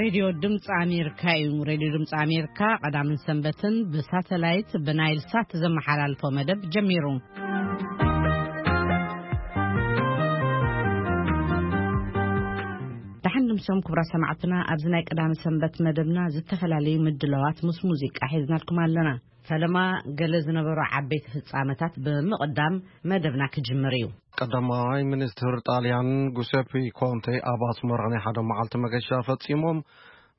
ሬድዮ ድምፂ ኣሜሪካ እዩ። ሬድዮ ድምፂ ኣሜሪካ ቀዳምን ሰንበትን ብሳተላይት ብናይል ሳት ዘመሓላልፎ መደብ ጀሚሩ። ደሓን ድምሶም ክቡራት ሰማዕትና፣ ኣብዚ ናይ ቀዳሚ ሰንበት መደብና ዝተፈላለዩ ምድላዋት ምስ ሙዚቃ ሒዝናልኩም ኣለና። ፈለማ ገለ ዝነበሩ ዓበይቲ ፍጻመታት ብምቕዳም መደብና ክጅምር እዩ። ቀዳማይ ሚኒስትር ጣልያን ጉሴፒ ኮንቴ ኣብ ኣስመራ ናይ ሓደ መዓልቲ መገሻ ፈጺሞም።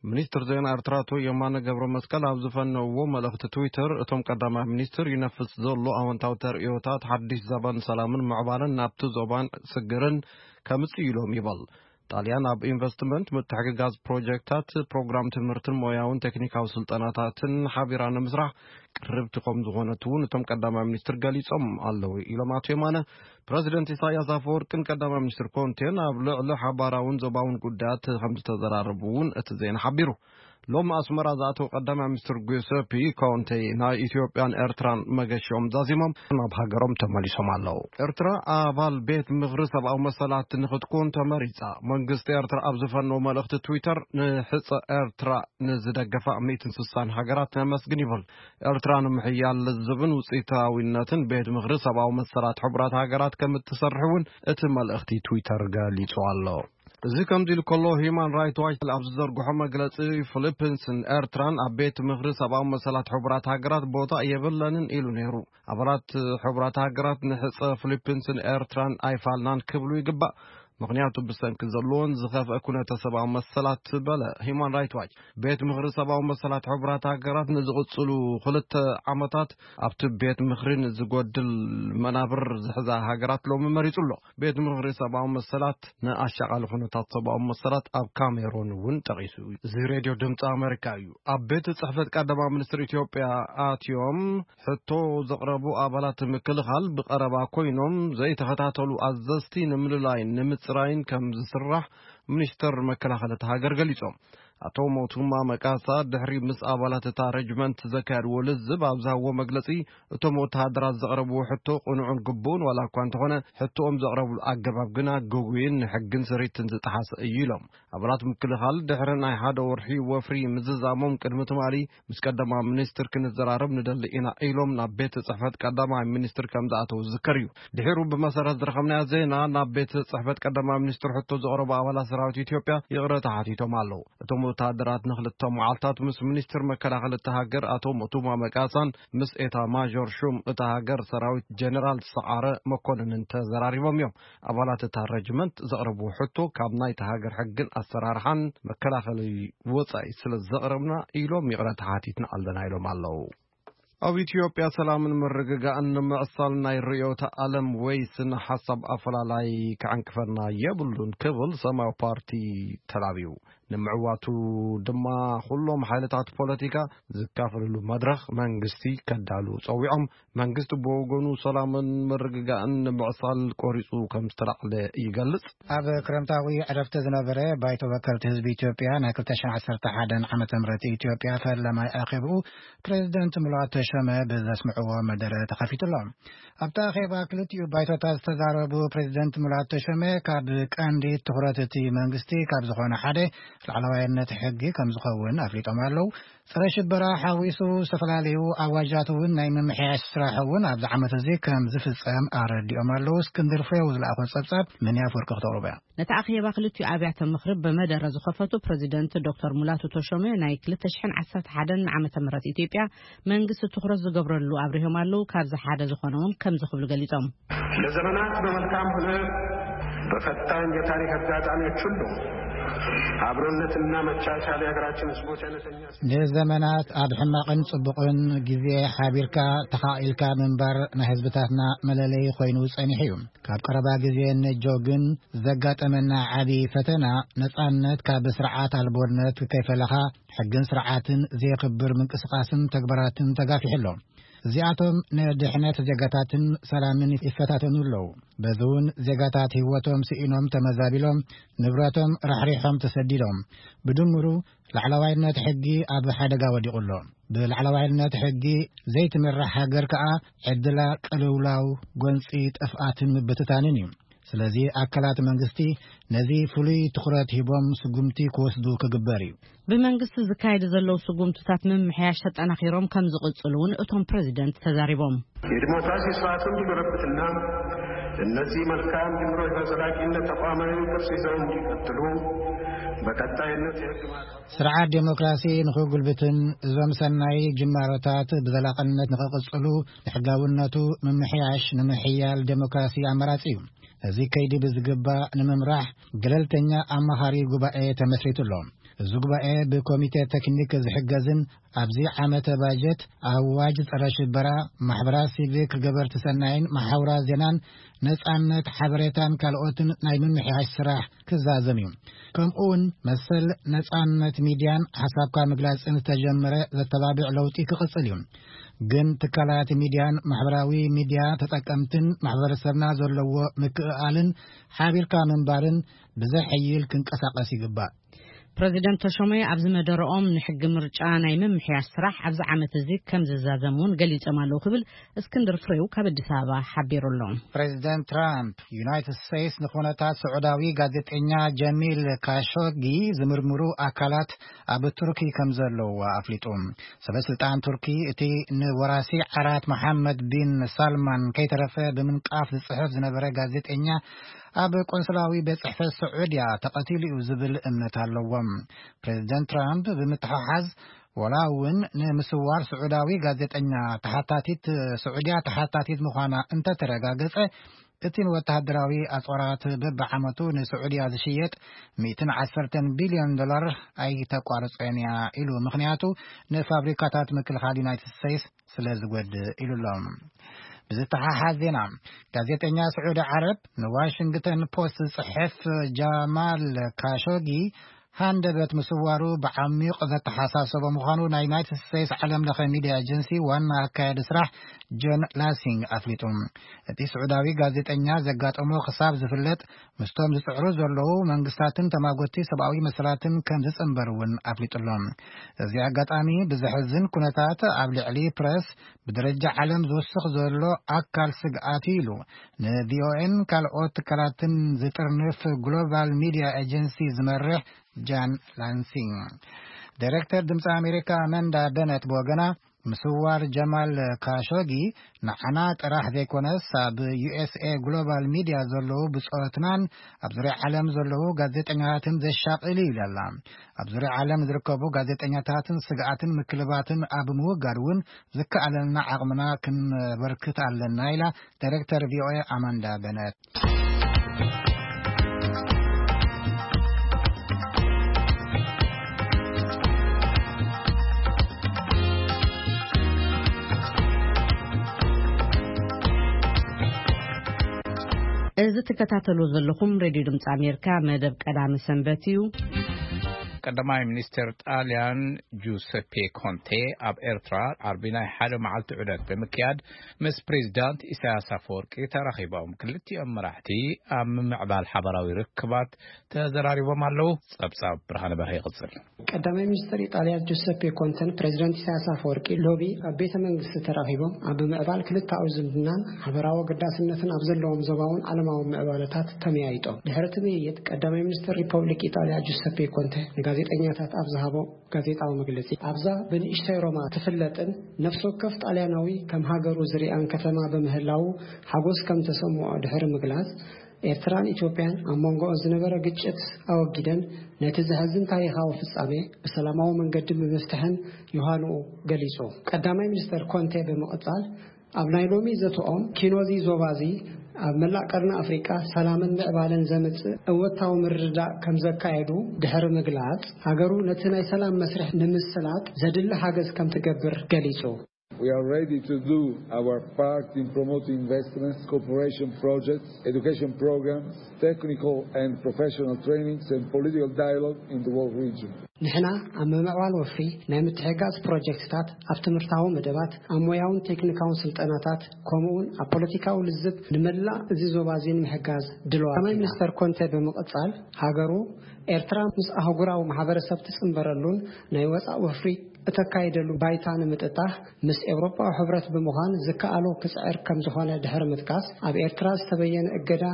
ሚኒስትር ዜና ኤርትራ ኣቶ የማነ ገብረ መስቀል ኣብ ዝፈነውዎ መልእኽቲ ትዊተር፣ እቶም ቀዳማይ ሚኒስትር ይነፍስ ዘሎ ኣወንታዊ ተርእዮታት ሓድሽ ዘበን ሰላምን ምዕባለን ናብቲ ዞባን ስግርን ከምጽእ ኢሎም ይበል። ጣልያን ኣብ ኢንቨስትመንት፣ ምትሕግጋዝ ፕሮጀክታት፣ ፕሮግራም ትምህርትን ሞያውን ቴክኒካዊ ስልጠናታትን ሓቢራ ንምስራሕ ቅርብቲ ከም ዝኾነት እውን እቶም ቀዳማይ ሚኒስትር ገሊጾም ኣለዉ ኢሎም ኣቶ የማነ። ፕረዚደንት ኢሳያስ ኣፈወርቅን ቀዳማይ ሚኒስትር ኮንቴን ኣብ ልዕሊ ሓባራውን ዞባውን ጉዳያት ከም ዝተዘራረቡ እውን እቲ ዜና ሓቢሩ። ሎም ኣስመራ ዝኣተው ቀዳማይ ሚኒስትር ጉሰፒ ኮንቴ ናይ ኢትዮጵያን ኤርትራን መገሽኦም ዛዚሞም ናብ ሃገሮም ተመሊሶም ኣለዉ። ኤርትራ ኣባል ቤት ምኽሪ ሰብኣዊ መሰላት ንክትኩን ተመሪጻ። መንግስቲ ኤርትራ ኣብ ዝፈነው መልእኽቲ ትዊተር፣ ንሕጸ ኤርትራ ንዝደገፋ ሚእትን ስሳን ሃገራት ነመስግን ይብል። ኤርትራ ንምሕያል ልዝብን ውጽኢታዊነትን ቤት ምኽሪ ሰብኣዊ መሰላት ሕቡራት ሃገራት ከም እትሰርሕ እውን እቲ መልእኽቲ ትዊተር ገሊጹ ኣሎ። እዚ ከምዚ ኢሉ ከሎ፣ ሂማን ራይት ዋች ኣብ ዝዘርግሖ መግለጺ፣ ፊሊፒንስን ኤርትራን ኣብ ቤት ምኽሪ ሰብኣዊ መሰላት ሕቡራት ሃገራት ቦታ የብለንን ኢሉ ነይሩ። ኣባላት ሕቡራት ሃገራት ንሕጸ ፊሊፒንስን ኤርትራን ኣይፋልናን ክብሉ ይግባእ፣ ምኽንያቱ ብሰንኪ ዘለዎን ዝኸፍአ ኩነተ ሰብኣዊ መሰላት በለ ሂማን ራይት ዋች። ቤት ምኽሪ ሰብኣዊ መሰላት ሕቡራት ሃገራት ንዝቕጽሉ ክልተ ዓመታት ኣብቲ ቤት ምኽሪ ንዝጎድል መናብር ዝሕዛ ሃገራት ሎሚ መሪጹ ኣሎ። ቤት ምኽሪ ሰብኣዊ መሰላት ንኣሻቓሊ ኩነታት ሰብኣዊ መሰላት ኣብ ካሜሮን እውን ጠቒሱ። እዚ ሬድዮ ድምፂ ኣሜሪካ እዩ። ኣብ ቤት ጽሕፈት ቀዳማይ ሚኒስትር ኢትዮጵያ ኣትዮም ሕቶ ዘቕረቡ ኣባላት ምክልኻል ብቐረባ ኮይኖም ዘይተኸታተሉ ኣዘዝቲ ንምልላይን ንምጽራይን ከም ዝስራሕ ሚኒስተር መከላኸሊ እታ ሃገር ገሊጾም። ኣቶ ሞቱማ መቃሳ ድሕሪ ምስ ኣባላት እታ ረጅመንት ዘካየድዎ ልዝብ ኣብ ዝሃብዎ መግለጺ፣ እቶም ወተሃደራት ዘቕረብዎ ሕቶ ቅኑዕን ግቡእን ዋላ እኳ እንተኾነ፣ ሕቶኦም ዘቕረብሉ ኣገባብ ግና ግጉይን ንሕግን ስሪትን ዝጠሓሰ እዩ ኢሎም። ኣባላት ምክልኻል ድሕሪ ናይ ሓደ ወርሒ ወፍሪ ምዝዛሞም ቅድሚ ትማሊ ምስ ቀዳማይ ሚኒስትር ክንዘራረብ ንደሊ ኢና ኢሎም ናብ ቤት ጽሕፈት ቀዳማይ ሚኒስትር ከም ዝኣተው ዝዝከር እዩ። ድሒሩ ብመሰረት ዝረኸብናዮ ዜና፣ ናብ ቤት ጽሕፈት ቀዳማይ ሚኒስትር ሕቶ ዘቕረቡ ኣባላት ሰራዊት ኢትዮጵያ ይቕረታ ሓቲቶም ኣለዉ። እቶም ወተሃደራት ንኽልተ መዓልታት ምስ ሚኒስትር መከላኸሊ እታ ሃገር ኣቶ ሞቱማ መቃሳን ምስ ኤታ ማዦር ሹም እታ ሃገር ሰራዊት ጀነራል ሰዓረ መኮንንን ተዘራሪቦም እዮም። ኣባላት እታ ረጅመንት ዘቕረብዎ ሕቶ ካብ ናይታ ሃገር ሕግን ኣሰራርሓን መከላኸሊ ወጻኢ ስለ ዘቕረብና ኢሎም ይቕረታ ሓቲትና ኣለና ኢሎም ኣለዉ። ኣብ ኢትዮጵያ ሰላምን ምርግጋእን ንምዕሳል ናይ ርዕዮተ ዓለም ወይ ስነ ሓሳብ ኣፈላላይ ክዕንቅፈና የብሉን ክብል ሰማያዊ ፓርቲ ተላብዩ። ንምዕዋቱ ድማ ኩሎም ሓይልታት ፖለቲካ ዝካፈልሉ መድረኽ መንግስቲ ከዳሉ ጸዊዖም። መንግስቲ ብወገኑ ሰላምን ምርግጋእን ንምዕሳል ቆሪጹ ከም ዝተላዕለ ይገልጽ። ኣብ ክረምታዊ ዕረፍቲ ዝነበረ ባይቶ ወከልቲ ህዝቢ ኢትዮጵያ ናይ ክልተ ሽሕን ዓሰርተ ሓደን ዓመተ ምህረት ኢትዮጵያ ፈለማይ ኣኼብኡ ፕሬዚደንት ሙላቱ ተሾመ ብዘስምዕዎ መደረ ተኸፊቱ ኣሎ። ኣብቲ ኣኼባ ክልቲኡ ባይቶታት ዝተዛረቡ ፕሬዚደንት ሙላቱ ተሾመ፣ ካብ ቀንዲ ትኹረት እቲ መንግስቲ ካብ ዝኾነ ሓደ ላዕለዋይነት ሕጊ ከም ዝኸውን ኣፍሊጦም ኣለዉ። ጸረ ሽበራ ሓዊሱ ዝተፈላለዩ ኣዋጃት እውን ናይ ምምሕያሽ ስራሕ እውን ኣብዚ ዓመት እዚ ከም ዝፍጸም ኣረዲኦም ኣለዉ። እስክንድር ፍሬው ዝለኣኾ ጸብጻብ መን ኣፈወርቂ ክተቕርቦ እያ። ነቲ ኣኼባ ክልቲኡ ኣብያተ ምኽሪ ብመደረ ዝኸፈቱ ፕሬዚደንት ዶክተር ሙላቱ ተሾመ፣ ናይ ክልተ ሽሕን ዓሰርተ ሓደን ዓመተ ምህረት ኢትዮጵያ መንግስቲ ትኹረት ዝገብረሉ ኣብሪሆም ኣለዉ። ካብዚ ሓደ ዝኾነ እውን ከምዚ ክብሉ ገሊጾም። ለዘመናት በመልካም ሆነ በፈታኝ የታሪክ አጋጣሚዎች ሁሉ አብሮነትና መቻቻል የሀገራችን ህዝቦች አይነተኛ ንዘመናት ኣብ ሕማቕን ጽቡቕን ግዜ ሓቢርካ ተኻኢልካ ምንባር ናይ ህዝብታትና መለለዪ ኮይኑ ጸኒሑ እዩ። ካብ ቀረባ ግዜ ነጆ ግን ዘጋጠመና ዓቢ ፈተና፣ ነጻነት ካብ ስርዓት ኣልቦነት ከይፈለኻ ሕግን ስርዓትን ዘየኽብር ምንቅስቓስን ተግባራትን ተጋፊሑ ኣሎ። እዚኣቶም ንድሕነት ዜጋታትን ሰላምን ይፈታተኑ ኣለዉ። በዚ እውን ዜጋታት ህይወቶም ስኢኖም ተመዛቢሎም፣ ንብረቶም ራሕሪሖም ተሰዲዶም። ብድምሩ ላዕለዋይነት ሕጊ ኣብ ሓደጋ ወዲቑ ኣሎ። ብላዕለዋይነት ሕጊ ዘይትምራሕ ሃገር ከኣ ዕድላ ቅልውላው፣ ጎንጺ፣ ጥፍኣትን ምብትታንን እዩ። ስለዚ ኣካላት መንግስቲ ነዚ ፍሉይ ትኹረት ሂቦም ስጉምቲ ክወስዱ ክግበር እዩ። ብመንግስቲ ዝካየዱ ዘለዉ ስጉምትታት ምምሕያሽ ተጠናኺሮም ከም ዝቕጽሉ እውን እቶም ፕሬዚደንት ተዛሪቦም። የዲሞክራሲ ስርዓት እንዲጎለብትና እነዚህ መልካም ጅምሮች በዘላቂነት ተቋማዊ ቅርጽ ይዘው እንዲቀጥሉ በቀጣይነት የህግ ማዕቀፍ ስርዓት ዴሞክራሲ ንኽጉልብትን እዞም ሰናይ ጅማሮታት ብዘላቕነት ንኽቕጽሉ ንሕጋውነቱ ምምሕያሽ ንምሕያል ዴሞክራሲ ኣማራጺ እዩ። እዚ ከይዲ ብዝግባእ ንምምራሕ ገለልተኛ ኣማኻሪ ጉባኤ ተመስሪቱ ኣሎ። እዚ ጉባኤ ብኮሚቴ ቴክኒክ ዝሕገዝን ኣብዚ ዓመተ ባጀት ኣዋጅ ጸረ ሽበራ፣ ማሕበራት ሲቪክ፣ ገበርቲ ሰናይን መሓውራ ዜናን ነጻነት ሓበሬታን ካልኦትን ናይ ምምሕያሽ ስራሕ ክዛዘም እዩ። ከምኡ እውን መሰል ነጻነት ሚድያን ሓሳብካ ምግላጽን ዝተጀመረ ዘተባብዕ ለውጢ ክቕጽል እዩ። ግን ትካላት ሚድያን ማሕበራዊ ሚድያ ተጠቀምትን ማሕበረሰብና ዘለዎ ምክእኣልን ሓቢርካ ምንባርን ብዘሐይል ክንቀሳቐስ ይግባእ። ፕረዚደንት ተሾመ ኣብዚ መደረኦም ንሕጊ ምርጫ ናይ ምምሕያሽ ስራሕ ኣብዚ ዓመት እዚ ከም ዝዛዘም እውን ገሊጾም ኣለዉ ክብል እስክንድር ፍሬው ካብ ኣዲስ ኣበባ ሓቢሩ ኣሎ። ፕሬዚደንት ትራምፕ ዩናይትድ ስቴትስ ንኹነታት ስዑዳዊ ጋዜጠኛ ጀሚል ካሾጊ ዝምርምሩ ኣካላት ኣብ ቱርኪ ከም ዘለዉ ኣፍሊጡ። ሰበ ስልጣን ቱርኪ እቲ ንወራሲ ዓራት መሓመድ ቢን ሳልማን ከይተረፈ ብምንቃፍ ዝጽሕፍ ዝነበረ ጋዜጠኛ ኣብ ቆንስላዊ ቤት ጽሕፈት ስዑድያ ተቐቲሉ እዩ ዝብል እምነት ኣለዎም። ፕሬዚደንት ትራምፕ ብምትሓሓዝ ወላ እውን ንምስዋር ስዑዳዊ ጋዜጠኛ ተሓታቲት፣ ስዑድያ ተሓታቲት ምዃና እንተተረጋገጸ እቲ ንወተሃደራዊ ኣጽዋራት በብዓመቱ ንስዑድያ ዝሽየጥ ሚእትን ዓሰርተን ቢልዮን ዶላር ኣይተቋርጾን እያ ኢሉ። ምኽንያቱ ንፋብሪካታት ምክልኻል ዩናይትድ ስቴትስ ስለ ዝጎድእ ኢሉ ኣሎ። ብዝተሓሓዝ ዜና፣ ጋዜጠኛ ስዑዲ ዓረብ ንዋሽንግተን ፖስት ዝጽሕፍ ጃማል ካሾጊ ሃንደበት ምስዋሩ ብዓሚቕ ዘተሓሳሰቦ ምዃኑ ናይ ዩናይትድ ስቴትስ ዓለም ለኸ ሚድያ ኤጀንሲ ዋና ኣካያዲ ስራሕ ጆን ላሲንግ ኣፍሊጡ። እቲ ስዑዳዊ ጋዜጠኛ ዘጋጠሞ ክሳብ ዝፍለጥ ምስቶም ዝጽዕሩ ዘለዉ መንግስታትን ተማጎቲ ሰብኣዊ መሰላትን ከም ዝጽንበር እውን ኣፍሊጡ ኣሎ። እዚ ኣጋጣሚ ብዘሕዝን ኩነታት ኣብ ልዕሊ ፕረስ ብደረጃ ዓለም ዝውስኽ ዘሎ ኣካል ስግኣት እዩ ኢሉ ንቪኦኤን ካልኦት ትካላትን ዝጥርንፍ ግሎባል ሚድያ ኤጀንሲ ዝመርሕ ጃን ላንሲንግ። ዳይሬክተር ድምፂ ኣሜሪካ ኣመንዳ በነት ብወገና ምስዋር ጀማል ካሾጊ ንዓና ጥራሕ ዘይኮነስ ኣብ ዩ ኤስ ኤ ግሎባል ሚድያ ዘለዉ ብጾትናን ኣብ ዙርያ ዓለም ዘለዉ ጋዜጠኛታትን ዘሻቕል እዩ ኢላ ኣላ። ኣብ ዙርያ ዓለም ዝርከቡ ጋዜጠኛታትን ስግኣትን ምክልባትን ኣብ ምውጋድ እውን ዝከኣለና ዓቕምና ክንበርክት ኣለና ኢላ ዳይሬክተር ቪኦኤ ኣማንዳ በነት። እዚ ትከታተሉ ዘለኹም ሬድዮ ድምፂ ኣሜሪካ መደብ ቀዳሚ ሰንበት እዩ። ቀዳማይ ሚኒስትር ጣልያን ጁሰፔ ኮንቴ ኣብ ኤርትራ ዓርቢ ናይ ሓደ መዓልቲ ዑደት ብምክያድ ምስ ፕሬዚዳንት ኢሳያስ ኣፈወርቂ ተራኺቦም። ክልቲኦም መራሕቲ ኣብ ምምዕባል ሓበራዊ ርክባት ተዘራሪቦም ኣለዉ። ጸብጻብ ብርሃነ በርሀ ይቕጽል። ቀዳማይ ሚኒስትር ኢጣልያ ጁሰፔ ኮንተን ፕሬዚዳንት ኢሳያስ ኣፈወርቂ ሎቢ ኣብ ቤተ መንግስቲ ተራኺቦም ኣብ ምምዕባል ክልተኣዊ ዝምድናን ሓበራዊ ኣገዳስነትን ኣብ ዘለዎም ዞባውን ዓለማዊ ምዕባለታት ተመያይጦም። ድሕሪ እቲ ምይይጥ ቀዳማይ ሚኒስትር ሪፐብሊክ ኢጣልያ ጁሰፔ ኮንተ ንጋዜጠኛታት ኣብ ዝሃቦ ጋዜጣዊ መግለጺ ኣብዛ ብንእሽተይ ሮማ ትፍለጥን ነፍሲ ወከፍ ጣልያናዊ ከም ሃገሩ ዝሪኣን ከተማ ብምህላዉ ሓጎስ ከም ተሰምዖ ድሕሪ ምግላጽ ኤርትራን ኢትዮጵያን ኣብ መንጎኦን ዝነበረ ግጭት ኣወጊደን ነቲ ዘሕዝን ታሪኻዊ ፍጻሜ ብሰላማዊ መንገዲ ብምፍትሐን ዮሃንኡ ገሊጹ። ቀዳማይ ሚኒስተር ኮንቴ ብምቕጻል ኣብ ናይ ሎሚ ዘተኦም ኪኖዚ ዞባዚ ኣብ መላእ ቀርኒ ኣፍሪቃ ሰላምን ምዕባለን ዘምጽእ እወታዊ ምርድዳእ ከም ዘካየዱ ድሕሪ ምግላጽ ሃገሩ ነቲ ናይ ሰላም መስርሕ ንምስላጥ ዘድሊ ሓገዝ ከም ትገብር ገሊጹ። We are ready to do our part in promoting investments, cooperation projects, education programs, technical and professional trainings and political dialogue in the whole region. ንሕና ኣብ ምምዕባል ወፍሪ ናይ ምትሕጋዝ ፕሮጀክትታት፣ ኣብ ትምህርታዊ መደባት፣ ኣብ ሞያውን ቴክኒካውን ስልጠናታት፣ ከምኡውን ኣብ ፖለቲካዊ ልዝብ ንመላእ እዚ ዞባ እዚ ንምሕጋዝ ድልዋት ቀዳማይ ኢና። ሚኒስተር ኮንተ ብምቕጻል ሃገሩ ኤርትራ ምስ ኣህጉራዊ ማሕበረሰብ ትጽንበረሉን ናይ ወጻእ ወፍሪ እተካይደሉ ባይታ ንምጥጣሕ ምስ ኤውሮጳዊ ሕብረት ብምዃን ዝከኣሎ ክጽዕር ከም ዝኾነ ድሕሪ ምጥቃስ፣ ኣብ ኤርትራ ዝተበየነ እገዳ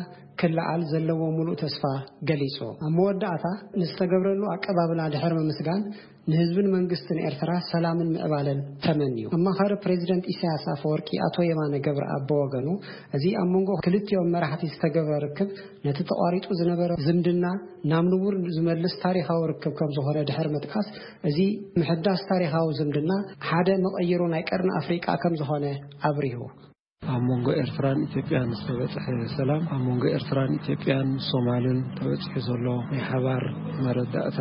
ክለዓል ዘለዎ ምሉእ ተስፋ ገሊጹ። ኣብ መወዳእታ ንዝተገብረሉ ኣቀባብላ ድሕሪ ምምስጋን፣ ንህዝብን መንግስትን ኤርትራ ሰላምን ምዕባለን ተመንዩ። ኣማኻሪ ፕሬዚደንት ኢሳያስ ኣፈወርቂ ኣቶ የማነ ገብረኣብ ብወገኑ፣ እዚ ኣብ መንጎ ክልቲኦም መራሕቲ ዝተገብረ ርክብ ነቲ ተቋሪጹ ዝነበረ ዝምድና ናብ ንቡር ዝመልስ ታሪኻዊ ርክብ ከም ዝኾነ ድሕሪ ምጥቃስ፣ እዚ ምሕዳስ ታሪኻዊ ዝምድና ሓደ መቐይሮ ናይ ቀርኒ ኣፍሪቃ ከም ዝኾነ ኣብሪሁ። ኣብ መንጎ ኤርትራን ኢትዮጵያን ዝተበጽሐ ሰላም፣ ኣብ መንጎ ኤርትራን ኢትዮጵያን ሶማልን ተበጺሑ ዘሎ ናይ ሓባር መረዳእታ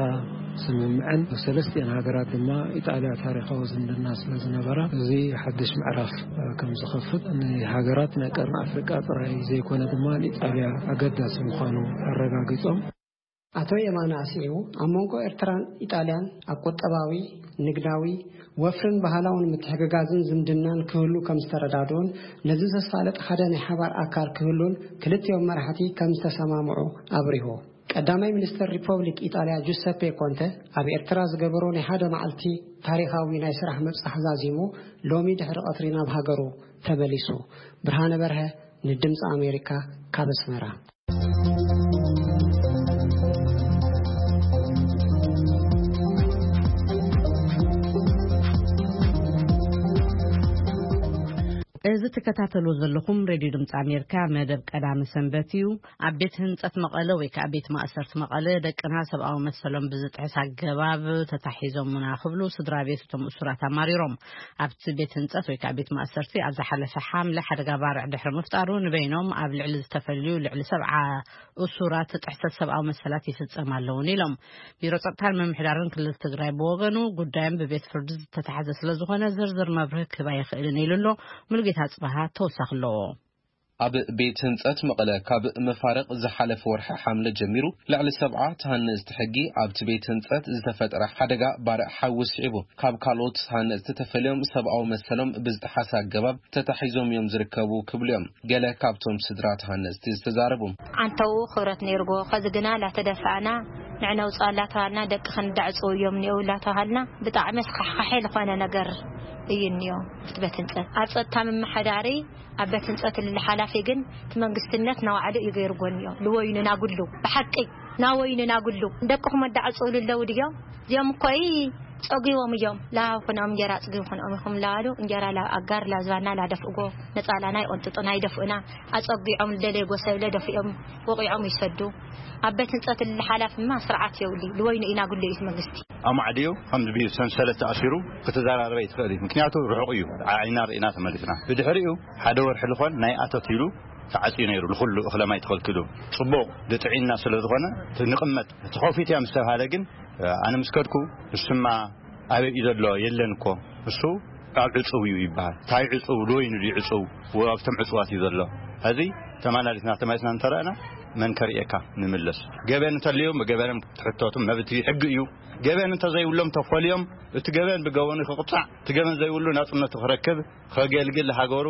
ስምምዕን፣ ሰለስቲአን ሃገራት ድማ ኢጣልያ ታሪኻዊ ዝምድና ስለ ዝነበራ፣ እዚ ሓድሽ ምዕራፍ ከም ዝኸፍት፣ ንሃገራት ናይ ቀርኒ ኣፍሪቃ ጥራይ ዘይኮነ ድማ ንኢጣልያ ኣገዳሲ ምዃኑ ኣረጋጊጾም። ኣቶ የማነ ኣስዒቡ፣ ኣብ መንጎ ኤርትራን ኢጣልያን ኣብ ቁጠባዊ፣ ንግዳዊ፣ ወፍርን ባህላውን ምትሕግጋዝን ዝምድናን ክህሉ ከም ዝተረዳድኡን፣ ነዚ ዘሳልጥ ሓደ ናይ ሓባር ኣካል ክህሉን ክልቲኦም መራሕቲ ከም ዝተሰማምዑ ኣብሪሁ። ቀዳማይ ሚኒስተር ሪፐብሊክ ኢጣልያ ጁሰፔ ኮንተ ኣብ ኤርትራ ዝገበሮ ናይ ሓደ መዓልቲ ታሪኻዊ ናይ ስራሕ ምብጻሕ ዛዚሙ፣ ሎሚ ድሕሪ ቀትሪ ናብ ሃገሩ ተመሊሱ። ብርሃነ በርሀ፣ ንድምፂ ኣሜሪካ፣ ካብ ኣስመራ። እዚ ትከታተሉ ዘለኹም ሬድዮ ድምፂ ኣሜሪካ መደብ ቀዳመ ሰንበት እዩ። ኣብ ቤት ህንፀት መቐለ ወይ ከዓ ቤት ማእሰርቲ መቐለ ደቅና ሰብኣዊ መሰሎም ብዝጥሕስ ኣገባብ ተታሒዞምና ክብሉ ስድራ ቤት እቶም እሱራት ኣማሪሮም። ኣብቲ ቤት ህንፀት ወይ ከዓ ቤት ማእሰርቲ ኣብ ዝሓለፈ ሓምለ ሓደጋ ባርዕ ድሕሪ ምፍጣሩ ንበይኖም ኣብ ልዕሊ ዝተፈልዩ ልዕሊ ሰብዓ እሱራት ጥሕሰት ሰብኣዊ መሰላት ይፍፀም ኣለውን ኢሎም። ቢሮ ጸጥታን ምምሕዳርን ክልል ትግራይ ብወገኑ ጉዳዮም ብቤት ፍርዲ ዝተታሕዘ ስለ ዝኾነ ዝርዝር መብርሂ ክህብ ኣይኽእልን ኢሉ ኣሎ። ሙሉጌታ ጽባሃ ተወሳኺ ኣለዎ። ኣብ ቤት ህንጸት መቐለ ካብ መፋርቕ ዝሓለፈ ወርሒ ሓምለ ጀሚሩ ልዕሊ ሰብዓ ተሃነፅቲ ሕጊ ኣብቲ ቤት ህንጸት ዝተፈጠረ ሓደጋ ባርዕ ሓዊ ስዒቡ ካብ ካልኦት ተሃነፅቲ ተፈልዮም ሰብኣዊ መሰሎም ብዝጠሓሰ ኣገባብ ተታሒዞም እዮም ዝርከቡ ክብሉ እዮም ገለ ካብቶም ስድራ ተሃነፅቲ ዝተዛረቡ። ዓንተው ክብረት ነይርዎ። ከዚ ግና ላተደፋእና ንዕነውፅኣ ላተባሃልና ደቂ ክንዳዕፅው እዮም እኒአው ላተባሃልና ብጣዕሚ ኣስካሕካሒ ዝኾነ ነገር እዩ እኒኦ። እቲ ቤት ህንፀት ኣብ ጸጥታ ምምሕዳሪ ኣብ ቤት ህንጸት ልሊ ሓላፊ ግን እቲ መንግስትነት ናባዕሉ እዩ ገይርዎ እኒኦ። ልወይኑ ናጉሉ ብሓቂ ናወይኑ ናጉሉ ደቅኹም ኣዳዕፅውሉ ኣለዉ ድዮም? እዚኦም እኮ ጸጊቦም እዮም። ላብ ኩኖም እንጀራ ኣጽጊቡ ኩኖም ኢኹም ላባሉ እንጀራ ላብ ኣጋር ላብ ዝባና ላደፍእጎ ነጻላና ይቆንጥጡና ይደፍኡና። ኣጸጊዖም ልደለይጎ ሰብለ ደፊኦም ወቂዖም ይሰዱ። ኣብ ቤት ህንጸት ልሊ ሓላፊማ ስርዓት የውሊ ልወይኑ ኢና ጉሉ እዩ መንግስቲ። ኣማዕድዩ ከም ዝብዩ ሰንሰለት ተኣሲሩ ክትዘራረበ ይትኽእል እዩ። ምክንያቱ ርሑቕ እዩ። ዓይና ርኢና ተመሊስና። ብድሕሪኡ ሓደ ወርሒ ልኾን ናይ ኣቶት ኢሉ ተዓፅዩ ነይሩ። ንኹሉ እኽለ ማይ ተኸልኪሉ። ጽቡቕ ድጥዒና ስለ ዝኾነ እቲ ንቕመጥ ተኸፊት እያ ምስ ተባሃለ ግን ኣነ ምስ ከድኩ እሱማ ኣበይ እዩ ዘሎ የለን እኮ። እሱ ኣብ ዕጹው እዩ ይበሃል። እንታይ ዕጹው? ዶይኑ ድዩ ዕጹው? ኣብቶም ዕጹዋት እዩ ዘሎ። ሕዚ ተመላሊስና ተመሊስና እንተረእና መን ከርእየካ ንምለስ። ገበን እንተልዮም ብገበንም ትሕተቱም መብት እዩ፣ ሕጊ እዩ። ገበን እንተዘይብሎም ተፈልዮም እቲ ገበን ብገበኑ ክቕጻዕ፣ እቲ ገበን ዘይብሉ ናጽነቱ ክረክብ፣ ከገልግል ሃገሩ።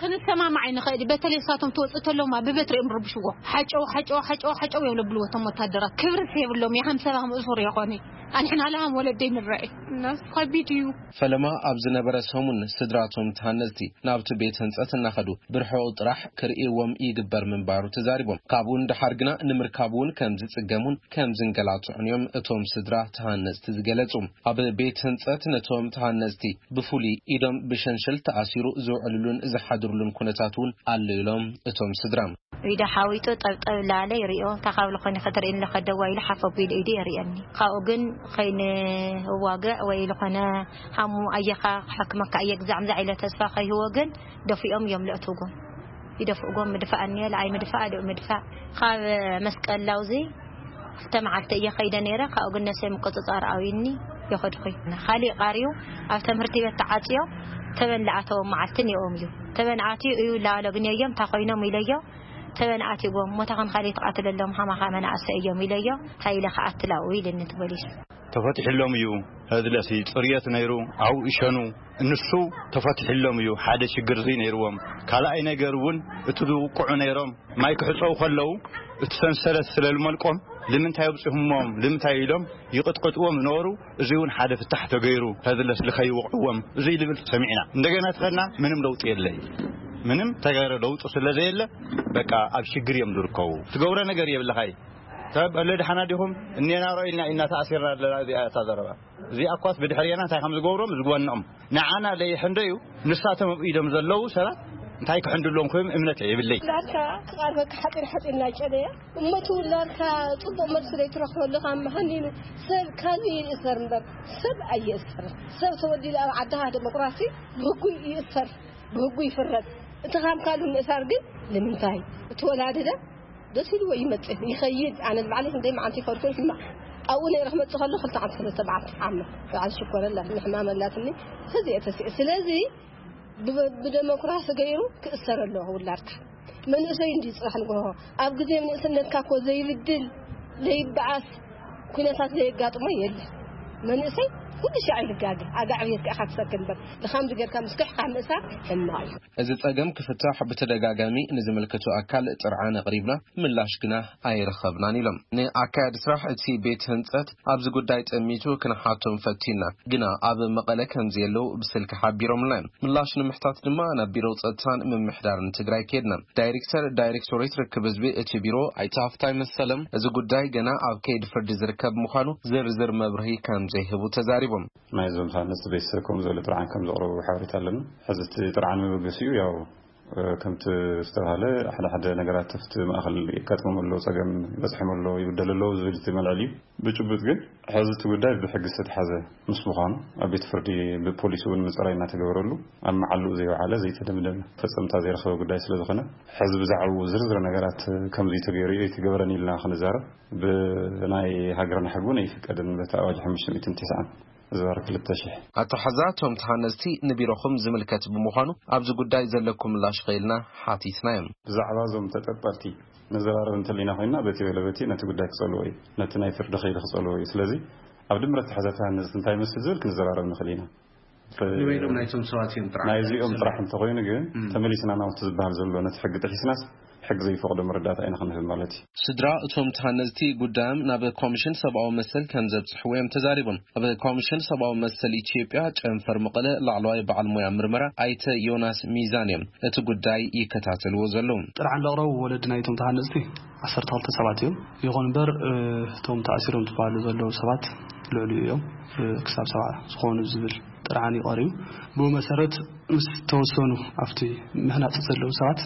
ክንሰማማዕ ኣይንኽእል። በተለይ እሳቶም ትወፅእ ተለውማ ብበትሪ እዮም ርብሽዎ። ሓጨው ሓጨው ሓጨው ሓጨው እዮም ለብልዎ እቶም ወታደራት። ክብርስ የብሎም። የሃም ሰባ ምእሱር የኾነ ኣንሕና ለሃም ወለደይ ንረኤ እናስ ከቢድ እዩ። ፈለማ ኣብ ዝነበረ ሰሙን ስድራቶም ተሃነፅቲ ናብቲ ቤት ህንፀት እናኸዱ ብርሑቕ ጥራሕ ክርእይዎም ይግበር ምንባሩ ተዛሪቦም። ካብኡ ንደሓር ግና ንምርካብ እውን ከም ዝፅገሙን ከም ዝንገላትዑን እዮም እቶም ስድራ ተሃነፅቲ ዝገለፁ። ኣብ ቤት ህንፀት ነቶም ተሃነፅቲ ብፍሉይ ኢዶም ብሸንሸል ተኣሲሩ ዝውዕልሉን ዝሓድርሉን ኩነታት እውን ኣሎ ኢሎም እቶም ስድራ። ኢዳ ሓዊጡ ጠብጠብ ላለ ይሪኦ። እንታይ ካብ ልኾኒ ከተርእየኒ ለኸ ደዋ ኢሉ ሓፍ ኣቢሉ ኢዱ የርእየኒ። ካብኡ ግን ኸይንዋግዕ ወይ ልኾነ ሃሙ ኣየኻ ክሕክመካ እየ ግዛዕ ምዛዕ ኢለ ተስፋ ከይህቦ ግን ደፊኦም እዮም ለእትውጎም። ይደፍእጎም ምድፋእ እኒኦ ለኣይ ምድፋእ ኣደኡ ምድፋእ። ካብ መስቀል ላውዚ ክልተ መዓልቲ እየ ከይደ ነይረ። ካብኡ ግን ነሰይ ምቁፅፃር ኣውይኒ የኸድኹይ። ካሊእ ቃርዩ ኣብ ትምህርቲ ቤት ተዓፅዮ ተበን ለኣተዎም መዓልትን የኦም እዩ። ተበን ኣትዩ እዩ ላሎ ግን የዮም እንታይ ኮይኖም ኢለዮ። ተበን ኣትዎም ሞታ ኸን ካሊእ ትቃትለሎም ሃማኻ መናእሰ እዮም ኢለዮ። እንታይ ኢለ ከኣትላኡ ኢልኒ እቲ ፖሊስ። ተፈቲሕሎም እዩ። ህዝለሲ ፅርየት ነይሩ ኣብኡ ይሸኑ። እንሱ ተፈቲሕሎም እዩ። ሓደ ሽግር እዚ ነይርዎም። ካልኣይ ነገር እውን እቲ ዝውቅዑ ነይሮም ማይ ክሕፀው ከለዉ እቲ ሰንሰለት ስለ ልመልቆም ልምንታይ ኣብፅሑሞም ልምንታይ ኢሎም ይቕጥቅጥዎም ነበሩ። እዚ እውን ሓደ ፍታሕ ተገይሩ ተዝለስ ልኸይወቕዕዎም እዚ ልብል ሰሚዕና። እንደገና ትኸና ምንም ለውጢ የለይ። ምንም ተገረ ለውጢ ስለ ዘየለ በቃ ኣብ ሽግር እዮም ዝርከቡ። ትገብረ ነገር የብልኻይ። ሰብ ኣለ ድሓና ዲኹም እኔና ሮ ኢልና ኢና ተኣሲርና ኣለና። እዚኣ እታ ዘረባ እዚኣ እኳስ ብድሕርና እንታይ ከም ዝገብሮም ዝግበኖም ንዓና ለይሕንደዩ። ንሳቶም ኣብ ኢዶም ዘለዉ ሰባት እንታይ ክሕንድሎም ኮይም እምነት የብለይ። ዳርካ ክቓርበካ ሓፂር ሓፂር እናጨደያ እሞ እቲ ውላድካ ጽቡቕ መልሲ ዘይትረኽበሉ ካብ መሃኒኑ ሰብ ካልእ ይእሰር እምበር ሰብ ኣይእሰርን። ሰብ ተወሊዱ ኣብ ዓድኻ ደሞክራሲ ብህጉ ይእሰር፣ ብህጉ ይፍረድ። እቲ ካብ ካልእ ምእሳር ግን ንምንታይ? እቲ ወላዲ ደ ደስ ኢልዎ ይመጽእ ይኸይድ። ኣነ ንባዕለይ ክንደይ መዓልቲ ይኸድኩ ሕማቕ ኣብኡ ነይረ ክመጽእ ከሎ ክልተ ዓመት ሰለስተ መዓልቲ ዓመ በዓል ሽኮረላ ንሕማም ኣላትኒ። ተዚኤ ተሲኤ ስለዚ ብደሞክራሲ ገይሩ ክእሰር ኣለዎ ውላድካ። መንእሰይ እንዲ ጽባሕ ንግሆ ኣብ ግዜ ንእስነትካ እኮ ዘይብድል ዘይበኣስ ኩነታት ዘየጋጥሞ የለ። መንእሰይ ኩሉ ሻዕ ይልጋገ ኣጋዕብየት ከኣ ክትሰክን በር ልኻም ዝገርካ ምስክሕካ ምእሳር ሕማቕ እዩ። እዚ ጸገም ክፍታሕ ብተደጋጋሚ ንዝምልከቱ ኣካል ጥርዓን ኣቕሪብና ምላሽ ግና ኣይረኸብናን ኢሎም። ንኣካያዲ ስራሕ እቲ ቤት ህንጸት ኣብዚ ጉዳይ ጠሚቱ ክንሓቶም ፈቲና፣ ግና ኣብ መቐለ ከም ዘየለዉ ብስልኪ ሓቢሮምልና እዮም። ምላሽ ንምሕታት ድማ ናብ ቢሮ ጸጥታን ምምሕዳርን ትግራይ ከድና። ዳይሬክተር ዳይሬክቶሬት ርክብ ህዝቢ እቲ ቢሮ ኣይተ ሃፍታይ መሰለም እዚ ጉዳይ ገና ኣብ ከይዲ ፍርዲ ዝርከብ ምዃኑ ዝርዝር መብርሂ ከም ዘይህቡ ተዛሪቦም። ናይ ዞም ሳነስ ቤተሰብ ከም ዘሎ ጥርዓን ከም ዘቕረቡ ሓበሬታ ኣለና። ሕዚ እቲ ጥርዓን መበገሲኡ ያው ከምቲ ዝተባሃለ ሓደ ሓደ ነገራት ኣብቲ ማእኸል የጋጥሞም ኣለዉ፣ ጸገም ይበጽሖም ኣለዉ፣ ይብደሉ ኣለዉ ዝብል እቲ መልዕል እዩ። ብጭቡጥ ግን ሕዚ እቲ ጉዳይ ብሕጊ ዝተተሓዘ ምስ ምዃኑ ኣብ ቤት ፍርዲ ብፖሊስ እውን ምጽራይ እናተገበረሉ ኣብ መዓልኡ ዘይወዓለ ዘይተደምደመ ፈጸምታ ዘይረኸበ ጉዳይ ስለ ዝኾነ ሕዚ ብዛዕባኡ ዝርዝር ነገራት ከም ዘይተገይሩ ዘይተገበረን ኢልና ክንዛረብ ብናይ ሃገርና ሕጊ እውን ኣይፍቀድን። በቲ ኣዋጅ ሓሙሽተ ሚእትን ተስዓን ዝባር ክልተ ሽሕ። ኣተሓዛ እቶም ተሃነፅቲ ንቢሮኹም ዝምልከት ብምዃኑ ኣብዚ ጉዳይ ዘለኩም ምላሽ ኸኢልና ሓቲትና እዮም። ብዛዕባ እዞም ተጠርጠርቲ ንዘራረብ እንተሊና ኮይና በቲ በለ በቲ ነቲ ጉዳይ ክጸልዎ እዩ፣ ነቲ ናይ ፍርዲ ኸይዲ ክጸልዎ እዩ። ስለዚ ኣብ ድምረት ተሓዛ ተሃነፅቲ እንታይ ይመስል ዝብል ክንዘራረብ ንኽእል ኢና። ንበይኖም ናይቶም ሰባት እዮም ጥራሕ ናይዚኦም ጥራሕ እንተኾይኑ ግን እም። ተመሊስና ናውቲ ዝበሃል ዘሎ ነቲ ሕጊ ጥሒስናስ ሕጊ ዘይፈቕዶ መረዳእታ ኢና ክንህብ ማለት እዩ። ስድራ እቶም ተሃነፅቲ ጉዳዮም ናብ ኮሚሽን ሰብኣዊ መሰል ከም ዘብፅሕዎ እዮም ተዛሪቦም። ኣብ ኮሚሽን ሰብኣዊ መሰል ኢትዮጵያ ጨንፈር መቐለ ላዕለዋይ በዓል ሞያ ምርመራ ኣይተ ዮናስ ሚዛን እዮም እቲ ጉዳይ ይከታተልዎ ዘለዉ። ጥርዓን ዘቕረቡ ወለዲ ናይቶም ተሃነፅቲ ዓሰርተ ክልተ ሰባት እዮም። ይኹን እምበር፣ እ፣ እቶም ተኣሲሮም ዝበሃሉ ዘለዉ ሰባት ልዕሊኡ እዮም፣ እ፣ ክሳብ ሰብዓ ዝኾኑ ዝብል ጥርዓን እዩ ቀሪቡ። ብኡ መሰረት ምስ ተወሰኑ ኣብቲ ምህናፅ ዘለዉ ሰባት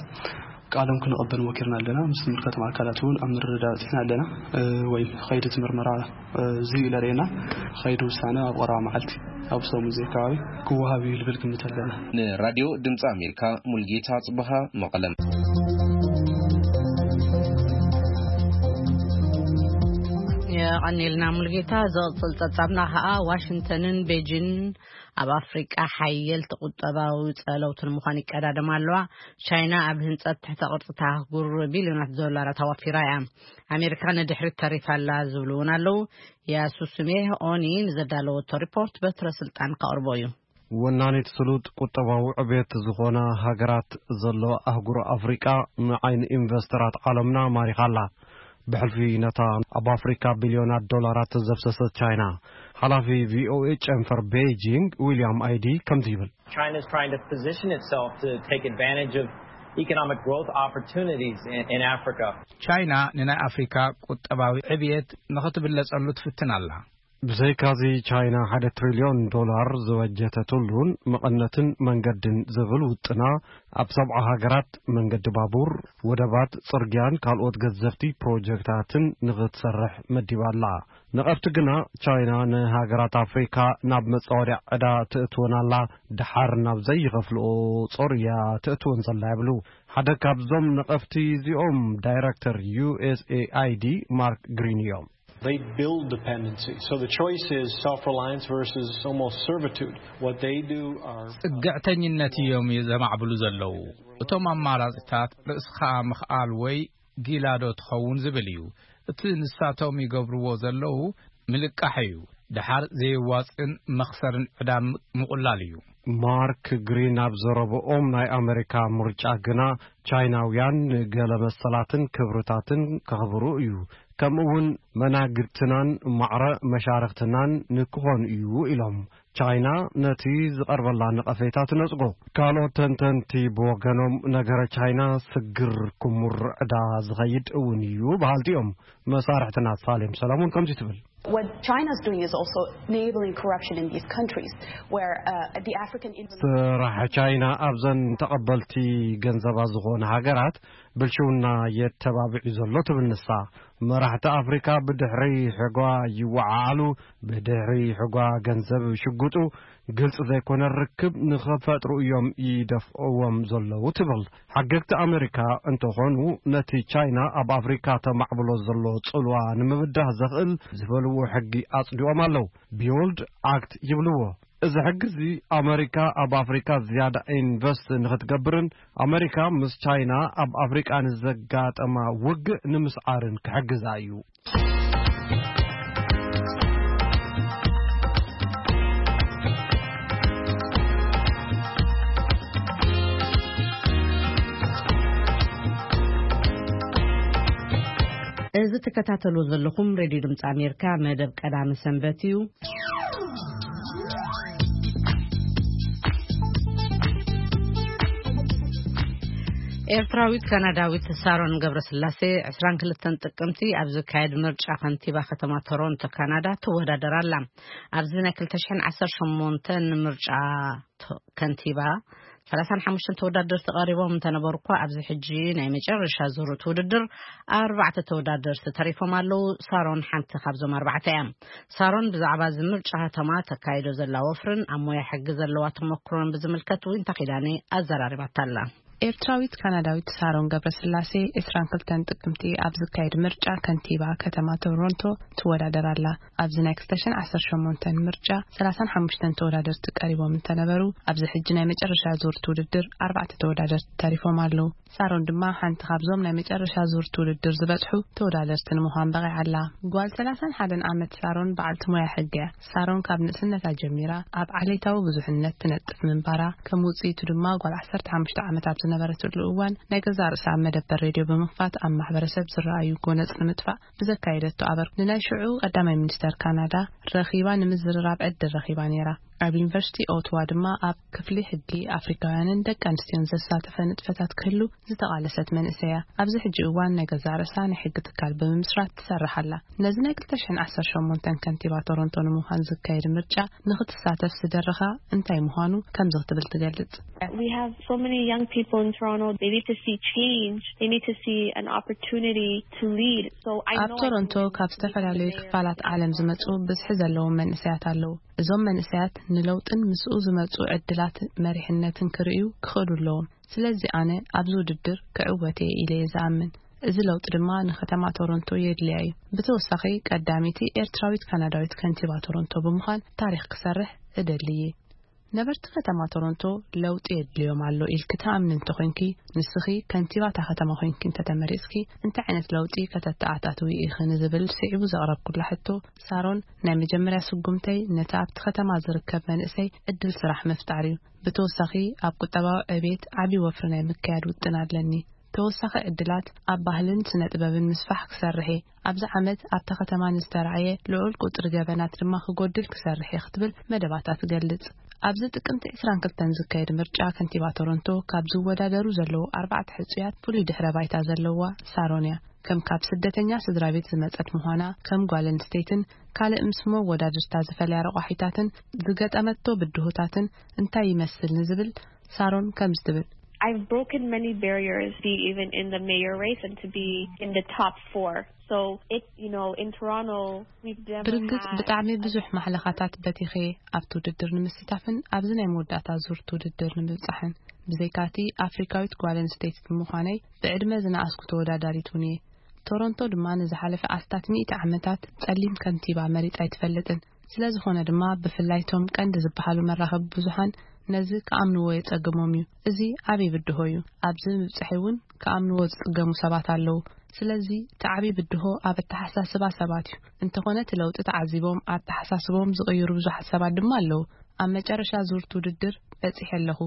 ቃሎም ክንቕበል ሞኪርና ኣለና። ምስ ዝምልከቶም ኣካላት እውን ኣብ ምርድዳእ በፂሕና ኣለና። እ፣ ወይም ኸይዲ እቲ ምርመራ፣ እ፣ እዚ እዩ ለርእየና። ኸይዲ ውሳነ ኣብ ቀረባ መዓልቲ ኣብ ሰሙን ዘይ ከባቢ ክወሃብ እዩ ልብል ግምት ኣለና። ንራድዮ ድምፂ ኣሜሪካ ሙልጌታ ጽበሃ መቐለም። የቐኔልና ሙልጌታ። ዝቕጽል ጸብጻብና ኸኣ ዋሽንግተንን ቤጂን ኣብ ኣፍሪቃ ሓየልቲ ቁጠባዊ ጸለውቲ ንምዃን ይቀዳደማ ኣለዋ። ቻይና ኣብ ህንጸት ትሕተ ቅርጺ ኣህጉር ቢልዮናት ዶላራት ኣዋፊራ እያ። ኣሜሪካ ንድሕሪት ተሪፋ ኣላ ዝብሉ እውን ኣለዉ። ያሱስሜ ኦኒ ንዘዳለወቶ ሪፖርት በትረ ስልጣን ከቕርቦ እዩ። ወናኒት ስሉጥ ቁጠባዊ ዕቤት ዝኾና ሃገራት ዘለዋ ኣህጉር ኣፍሪቃ ንዓይኒ ኢንቨስተራት ዓለምና ማሪኻ ኣላ። ብሕልፊ ነታ ኣብ ኣፍሪካ ቢልዮናት ዶላራት ዘፍሰሰት ቻይና። ሓላፊ ቪኦኤ ጨንፈር ቤይጂንግ ዊልያም ኣይዲ ከምዚ ይብል። China is trying to position itself to take advantage of economic growth opportunities in, in Africa. ቻይና ንናይ ኣፍሪካ ቁጠባዊ ዕብየት ንኽትብለጸሉ ትፍትን ኣላ። ብዘይካዚ ቻይና ሓደ ትሪልዮን ዶላር ዝበጀተትሉን መቐነትን መንገድን ዝብል ውጥና ኣብ ሰብዓ ሃገራት መንገዲ ባቡር፣ ወደባት፣ ጽርግያን ካልኦት ገዘፍቲ ፕሮጀክታትን ንኽትሰርሕ መዲባ ኣላ። ነቐፍቲ ግና ቻይና ንሃገራት ኣፍሪካ ናብ መጻወድያ ዕዳ ትእትወን ኣላ፣ ደሓር ናብ ዘይኸፍልኦ ጾር እያ ትእትወን ዘላ ይብሉ። ሓደ ካብዞም ነቐፍቲ እዚኦም ዳይረክተር ዩ ኤስ ኤ ኣይ ዲ ማርክ ግሪን እዮም። They build dependency. So the choice is self-reliance versus almost servitude. What they do are ጽግዕተኝነት እዮም ዘማዕብሉ ዘለዉ። እቶም ኣማራጺታት ርእስኻ ምኽኣል ወይ ጊላዶ ትኸውን ዝብል እዩ። እቲ ንሳቶም ይገብርዎ ዘለዉ ምልቃሕ እዩ። ደሓር ዘየዋጽእን መኽሰርን ዕዳ ምቁላል እዩ። ማርክ ግሪን ኣብ ዘረብኦም ናይ ኣመሪካ ምርጫ ግና ቻይናውያን ንገለ መሰላትን ክብርታትን ከኽብሩ እዩ። ከምኡ እውን መናግድትናን ማዕረ መሻርኽትናን ንክኾኑ እዩ ኢሎም። ቻይና ነቲ ዝቐርበላ ነቐፌታ ትነጽጎ። ካልኦት ተንተንቲ ብወገኖም፣ ነገረ ቻይና ስግር ክሙር ዕዳ ዝኸይድ እውን እዩ በሃልቲ እዮም። መሳርሕትና ሳሌም ሰለሙን ከምዚ ትብል። What China's doing is also enabling corruption in these countries where uh, the African intervention ስራሕ ቻይና ኣብዘን ተቐበልቲ ገንዘባ ዝኾነ ሃገራት ብልሽውና የተባብዕ ዘሎ ትብል ንሳ። መራሕቲ ኣፍሪካ ብድሕሪ ሕጓ ይወዓዓሉ፣ ብድሕሪ ሕጓ ገንዘብ ሽጉጡ ግልጽ ዘይኮነ ርክብ ንኸፈጥሩ እዮም ይደፍእዎም ዘለዉ ትብል። ሓገግቲ ኣሜሪካ እንተኾኑ፣ ነቲ ቻይና ኣብ ኣፍሪካ ተማዕብሎ ዘሎ ጽልዋ ንምብዳህ ዘኽእል ዝበልዎ ሕጊ ኣጽዲቖም ኣለዉ። ቢውልድ ኣክት ይብልዎ። እዚ ሕጊ እዚ ኣሜሪካ ኣብ ኣፍሪካ ዝያዳ ኢንቨስት ንኽትገብርን ኣሜሪካ ምስ ቻይና ኣብ ኣፍሪቃ ንዘጋጠማ ውግእ ንምስዓርን ክሕግዛ እዩ። እዚ ትከታተሉ ዘለኹም ሬድዮ ድምፂ ኣሜሪካ መደብ ቀዳሚ ሰንበት እዩ። ኤርትራዊት ካናዳዊት ሳሮን ገብረስላሴ ዕስራን ክልተን ጥቅምቲ ኣብ ዝካየድ ምርጫ ከንቲባ ከተማ ቶሮንቶ ካናዳ ትወዳደር ኣላ። ኣብዚ ናይ ክልተ ሽሕን ዓሰርተ ሸሞንተን ምርጫ ቶ- ከንቲባ ሰላሳን ሓሙሽተን ተወዳደርቲ ቀሪቦም እንተነበሩ እኳ፣ ኣብዚ ሕጂ ናይ መጨረሻ ዙር እቲ ውድድር ኣርባዕተ ተወዳደርቲ ተሪፎም ኣለዉ። ሳሮን ሓንቲ ካብዞም ኣርባዕተ እያ። ሳሮን ብዛዕባ እዚ ምርጫ ከተማ ተካይዶ ዘላ ወፍርን ኣብ ሞያ ሕጊ ዘለዋ ተመክሮን ብዝምልከት ዊንታ ኪዳነ ኣዘራሪባታ ኣላ። ኤርትራዊት ካናዳዊት ሳሮን ገብረስላሴ ዕስራን ክልተን ጥቅምቲ ኣብ ዝካየድ ምርጫ ከንቲባ ከተማ ቶሮንቶ ትወዳደር ኣላ። ኣብዚ ናይ ክልተ ሽሕን ዓሰርተ ሸሞንተን ምርጫ ሰላሳን ሓሙሽተን ተወዳደርቲ ቀሪቦም እንተነበሩ፣ ኣብዚ ሕጂ ናይ መጨረሻ ዙር እቲ ውድድር ኣርባዕተ ተወዳደርቲ ተሪፎም ኣለዉ። ሳሮን ድማ ሓንቲ ካብዞም ናይ መጨረሻ ዙር እቲ ውድድር ዝበጽሑ ተወዳደርቲ ንምዃን በቒዓ ኣላ። ጓል ሰላሳን ሓደን ዓመት ሳሮን በዓልቲ ሞያ ሕጊ እያ። ሳሮን ካብ ንእስነታ ጀሚራ ኣብ ዓሌታዊ ብዙሕነት ትነጥፍ ምንባራ፣ ከም ውጽኢቱ ድማ ጓል ዓሰርተ ሓሙሽተ ዓመት ኣብ ዝነበረትሉ እዋን ናይ ገዛእ ርእሳ መደበር ሬድዮ ብምኽፋት ኣብ ማሕበረሰብ ዝረኣዩ ጎነጽ ንምጥፋእ ብዘካየደቶ ኣበርክቶ ንናይ ሽዑ ቀዳማይ ሚኒስተር ካናዳ ረኺባ ንምዝርራብ ዕድል ረኺባ ነይራ። ኣብ ዩኒቨርሲቲ ኦትዋ ድማ ኣብ ክፍሊ ሕጊ ኣፍሪካውያንን ደቂ ኣንስትዮን ዘሳተፈ ንጥፈታት ክህሉ ዝተቓለሰት መንእሰይ እያ። ኣብዚ ሕጂ እዋን ናይ ገዛእ ርእሳ ናይ ሕጊ ትካል ብምምስራት ትሰርሕ ኣላ። ነዚ ናይ ክልተ ሽሕን ዓሰርተ ሸሞንተን ከንቲባ ቶሮንቶ ንምዃን ዝካየድ ምርጫ ንኽትሳተፍ ዝደረኻ እንታይ ምዃኑ ከምዚ ክትብል ትገልጽ። We have so many young people in Toronto. They need to see change. They need to see an opportunity to lead. So I ኣብ know I ቶሮንቶ can ካብ lead the ዝተፈላለዩ mayor ክፋላት ዓለም ዝመጹ ብዝሒ ዘለዎም መንእሰያት ኣለዉ። እዞም መንእሰያት ንለውጥን ምስኡ ዝመጹ ዕድላት መሪሕነትን ክርእዩ ክኽእሉ ኣለዎም። ስለዚ ኣነ ኣብዚ ውድድር ክዕወት እየ ኢለ እየ ዝኣምን። እዚ ለውጢ ድማ ንከተማ ቶሮንቶ የድልያ እዩ። ብተወሳኺ ቀዳመይቲ ኤርትራዊት ካናዳዊት ከንቲባ ቶሮንቶ ብምዃን ታሪኽ ክሰርሕ እደሊ እየ። ነበርቲ ከተማ ቶሮንቶ ለውጢ የድልዮም ኣሎ ኢልኪ ትኣምኒ እንተኾይንኪ፣ ንስኺ ከንቲባ እታ ከተማ ኮይንኪ እንተተመሪጽኪ፣ እንታይ ዓይነት ለውጢ ከተተኣታትዊ ኢኺ ንዝብል ስዒቡ ዘቕረብኩላ ሕቶ፣ ሳሮን፣ ናይ መጀመርያ ስጉምተይ ነቲ ኣብቲ ከተማ ዝርከብ መንእሰይ ዕድል ስራሕ ምፍጣር እዩ። ብተወሳኺ ኣብ ቁጠባዊ ዕቤት ዓቢ ወፍሪ ናይ ምክያድ ውጥን ኣለኒ። ተወሳኺ ዕድላት ኣብ ባህልን ስነ ጥበብን ምስፋሕ ክሰርሕ እየ። ኣብዚ ዓመት ኣብታ ከተማ ንዝተራእየ ልዑል ቁጽሪ ገበናት ድማ ክጎድል ክሰርሕ እየ ክትብል መደባታ ትገልጽ። ኣብዚ ጥቅምቲ ዕስራን ክልተን ዝካየድ ምርጫ ከንቲባ ቶሮንቶ ካብ ዝወዳደሩ ዘለዉ ኣርባዕተ ሕጹያት ፍሉይ ድሕረ ባይታ ዘለዋ ሳሮን እያ። ከም ካብ ስደተኛ ስድራ ቤት ዝመጸት ምዃና፣ ከም ጓል ኣንስተይትን ካልእ ምስ መወዳድርታ ዝፈልያ ረቋሒታትን ዝገጠመቶ ብድሆታትን እንታይ ይመስል ንዝብል ሳሮን ከምዚ ትብል። I've broken many barriers to be even in the mayor race and to be in the top four. So it, you know, in Toronto, we've never ብርግጽ had ብጣዕሚ ብዙሕ ማሕለኻታት በቲኸ ኣብቲ ውድድር ንምስታፍን ኣብዚ ናይ መወዳእታ ዙር እቲ ውድድር ንምብጻሕን። ብዘይካቲ ኣፍሪካዊት ጓል ኣንስተይቲ ብምዃነይ ብዕድመ ዝነኣስኩ ተወዳዳሪት እውን እየ። ቶሮንቶ ድማ ንዝሓለፈ ኣስታት ሚእቲ ዓመታት ጸሊም ከንቲባ መሪጻ ኣይትፈልጥን። ስለ ዝኾነ ድማ ብፍላይ እቶም ቀንዲ ዝበሃሉ መራኸቢ ብዙሓን ነዚ ክኣምንዎ የጸግሞም እዩ። እዚ ዓብዪ ብድሆ እዩ። ኣብዚ ምብጽሐይ እውን ክኣምንዎ ዝጽገሙ ሰባት ኣለዉ። ስለዚ እቲ ዓብዪ ብድሆ ኣብ ኣተሓሳስባ ሰባት እዩ። እንተኾነ እቲ ለውጢ ተዓዚቦም ኣተሓሳስቦም ዝቕይሩ ብዙሓት ሰባት ድማ ኣለዉ። ኣብ መጨረሻ ዙር እቲ ውድድር በጺሐ ኣለኹ።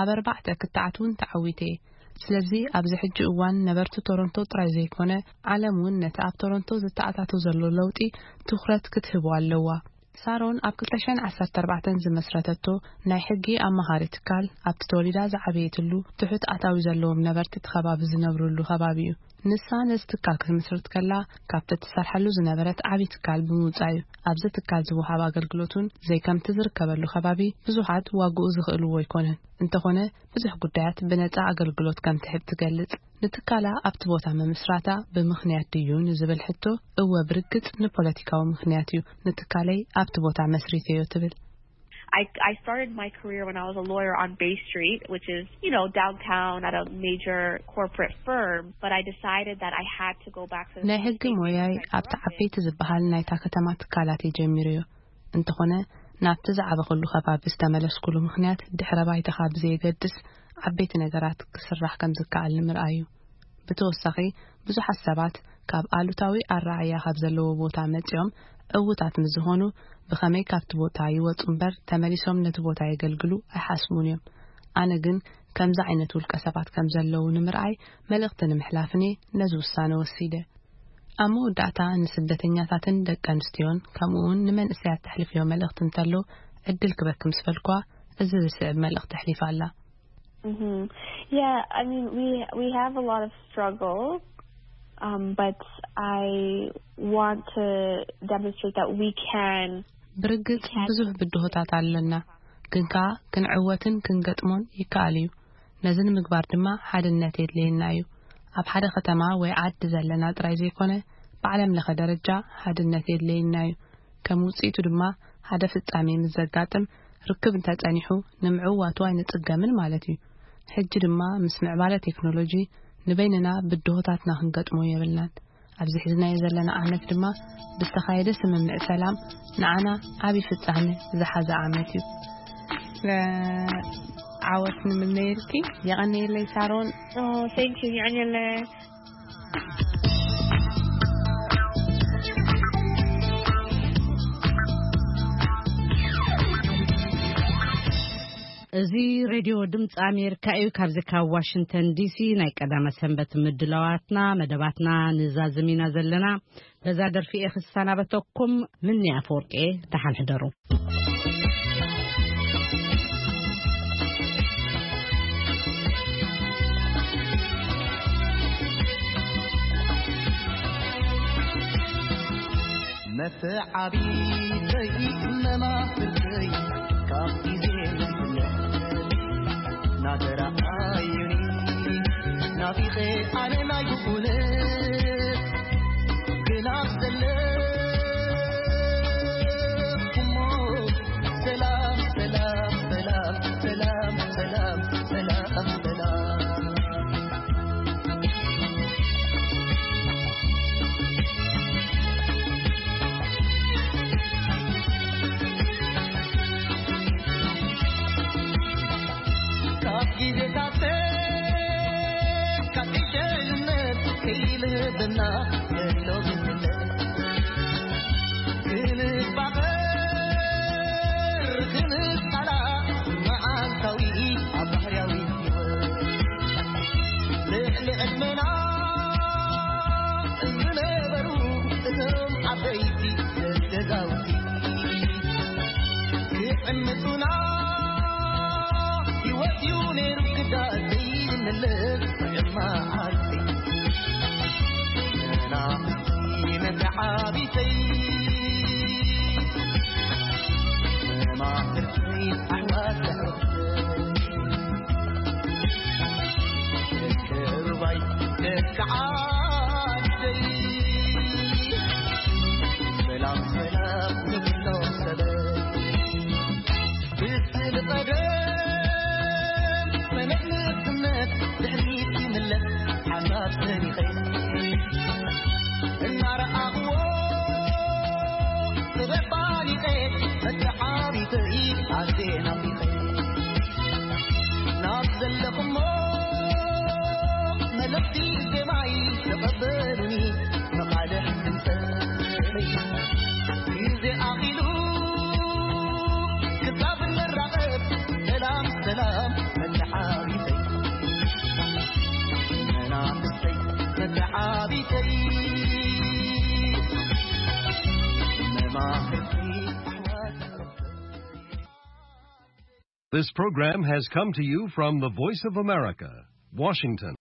ኣብ ኣርባዕተ ክትዓት እውን ተዓዊተ እየ። ስለዚ ኣብዚ ሕጂ እዋን ነበርቲ ቶሮንቶ ጥራይ ዘይኮነ፣ ዓለም እውን ነቲ ኣብ ቶሮንቶ ዝተኣታቶ ዘሎ ለውጢ ትኹረት ክትህቦ ኣለዋ። ሳሮን ኣብ ክልተ ሽሕን ዓሰርተ ኣርባዕተን ዝመስረተቶ ናይ ሕጊ ኣማኻሪ ትካል፣ ኣብቲ ተወሊዳ ዝዓበየትሉ ትሑት ኣታዊ ዘለዎም ነበርቲ እቲ ከባቢ ዝነብሩሉ ከባቢ እዩ። ንሳ ነዚ ትካል ክትምስርት ከላ፣ ካብቲ እትሰርሐሉ ዝነበረት ዓቢ ትካል ብምውጻእ እዩ። ኣብዚ ትካል ዝወሃብ ኣገልግሎት እውን ዘይከምቲ ዝርከበሉ ከባቢ ብዙሓት ዋግኡ ዝኽእልዎ ኣይኮነን። እንተኾነ፣ ብዙሕ ጉዳያት ብነጻ ኣገልግሎት ከም ትህብ ትገልጽ። ንትካላ ኣብቲ ቦታ ምምስራታ ብምኽንያት ድዩ ንዝብል ሕቶ፣ እወ፣ ብርግጽ ንፖለቲካዊ ምኽንያት እዩ ንትካለይ ኣብቲ ቦታ መስሪተዮ ትብል። I, I started my career when I was a lawyer on Bay Street, which is, you know, downtown at a major corporate firm, but I decided that I had to go back to the ናይ ሕጊ ሞያይ ኣብቲ ዓበይቲ ዝበሃል ናይታ ከተማ ትካላት እየ ጀሚረዮ። እንተኾነ፣ ናብቲ ዝዓበኹሉ ከባቢ ዝተመለስኩሉ ምኽንያት ድሕረ ባይታኻ ብዘየገድስ ዓበይቲ ነገራት ክስራሕ ከም ዝከኣል ንምርኣይ እዩ። ብተወሳኺ፣ ብዙሓት ሰባት ካብ ኣሉታዊ ኣረኣእያ ካብ ዘለዎ ቦታ መጺኦም ዕዉታት ምስ ዝኾኑ፣ ብኸመይ ካብቲ ቦታ ይወጹ እምበር ተመሊሶም ነቲ ቦታ የገልግሉ ኣይሓስቡን እዮም። ኣነ ግን ከምዚ ዓይነት ውልቀ ሰባት ከም ዘለዉ ንምርኣይ መልእኽቲ ንምሕላፍን እየ ነዚ ውሳነ ወሲደ። ኣብ መወዳእታ ንስደተኛታትን ደቂ ኣንስትዮን ከምኡ እውን ንመንእሰያት ተሕልፍዮ መልእኽቲ እንተሎ ዕድል ክበኪ ምስ በልኳ፣ እዚ ዝስዕብ መልእኽቲ ኣሕሊፋ ኣላ። Mm-hmm. Yeah, I mean, we we have a lot of struggle, um, but I want to demonstrate that we can. ብርግጽ ብዙሕ ብድሆታት ኣለና፣ ግን ከኣ ክንዕወትን ክንገጥሞን ይከኣል እዩ። ነዚ ንምግባር ድማ ሓድነት የድልየና እዩ። ኣብ ሓደ ከተማ ወይ ዓዲ ዘለና ጥራይ ዘይኮነ፣ ብዓለም ለኸ ደረጃ ሓድነት የድልየና እዩ። ከም ውጽኢቱ ድማ፣ ሓደ ፍጻሜ ምስ ዘጋጥም፣ ርክብ እንተጸኒሑ፣ ንምዕዋቱ ኣይንጽገምን ማለት እዩ። ሕጂ ድማ ምስ ምዕባለ ቴክኖሎጂ ንበይንና ብድሆታትና ክንገጥሞ የብልናን። ኣብዚ ሒዝናዮ ዘለና ዓመት ድማ ብዝተኻየደ ስምምዕ ሰላም ንዓና ዓቢ ፍጻመ ዝሓዘ ዓመት እዩ። ለ-፣ ዓወት ንምነየልኪ። የቐንየለይ ሳሮን። Oh, thank you. የቐንየለይ። እዚ ሬድዮ ድምፂ ኣሜሪካ እዩ። ካብዚ ካብ ዋሽንግተን ዲሲ ናይ ቀዳመ ሰንበት ምድላዋትና፣ መደባትና ንዛዝም ኢና ዘለና። በዛ ደርፊ እየ ክሰናበተኩም። ምኒ ኣፈወርቂ፣ ደሓን ሕደሩ። መተዓቢተይ መማህርተይ ካብ ግዜ ንግለ ናተራኣዩኒ ናፊቐ ኣነ ናይ ብኩነት ግና ዘለኹሞ ሰላም ሰላም ሰላም ሰላም ሰላም ሰላም ሰላም። ካብ ግዜታት ካብ ዕሸልነት ከይልህበና ዘሎ ግንነት ክንፋቐር ክንጣላ መዓልታዊ ኣብ ባህርያዊ ህይወት ልዕሊ ዕድመና ዝነበሩ እቶም ዓበይቲ ገዛውቲ ክዕምጹና ህይወት እዩ ነይሩ ክዳን ዘይንመለስ መዓልቲ መናፍስቲ መተዓቢተይ መማህርተይ ኣሕዋት ኣሕዋተይ ደቂ ሩባይ ደቂ ዓደይ ሰላም ሰላም ንኩሎም ሰበይ ብስሊ ቀደም ፈለግ ንእስነት ድሕሪት ይምለስ ሓሳብ ሰኒኸ እናረኣኽዎ ጥበብ ፋሊጠ መተዓቢተይ ኣዜ ናፊቐ ናብ ዘለኹሞ መልእኽቲ ዜማይ ተቐበሉኒ መቓልሕ ድምፀይ ግዜ ኣኺሉ ክሳብ እንራኸብ ሰላም ሰላም መተዓቢተይ ዓቢተይ መማህርቲ ኣሕዋት። This program has come to you from the Voice of America, Washington.